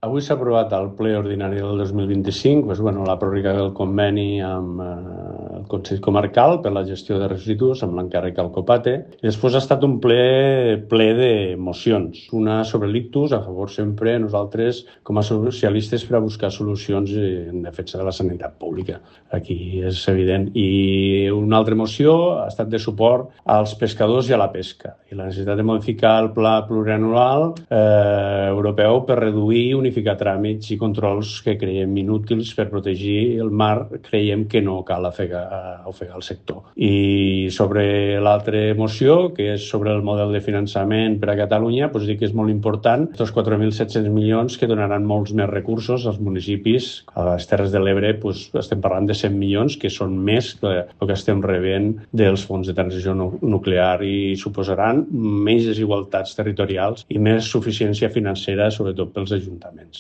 Avui s'ha aprovat al ple ordinari del 2025 la pròrroga del conveni amb el Consell Comarcal per la gestió de residus amb l'encàrrec al Copate. I després ha estat un ple de mocions. Una sobre l'ictus, a favor sempre nosaltres com a socialistes per a buscar solucions en defensa de la sanitat pública. Aquí és evident. I una altra moció ha estat de suport als pescadors i a la pesca i la necessitat de modificar el pla plurianual europeu per reduir i unificar tràmits i controls que creiem inútils per protegir el mar. Creiem que no cal ofegar el sector. I sobre l'altra moció, que és sobre el model de finançament per a Catalunya, doncs dir que és molt important els 4.700 milions que donaran molts més recursos als municipis. A les Terres de l'Ebre estem parlant de 100 milions, que són més que el que estem rebent dels fons de transició nuclear i suposaran menys desigualtats territorials i més suficiència financera, sobretot pels ajuntaments.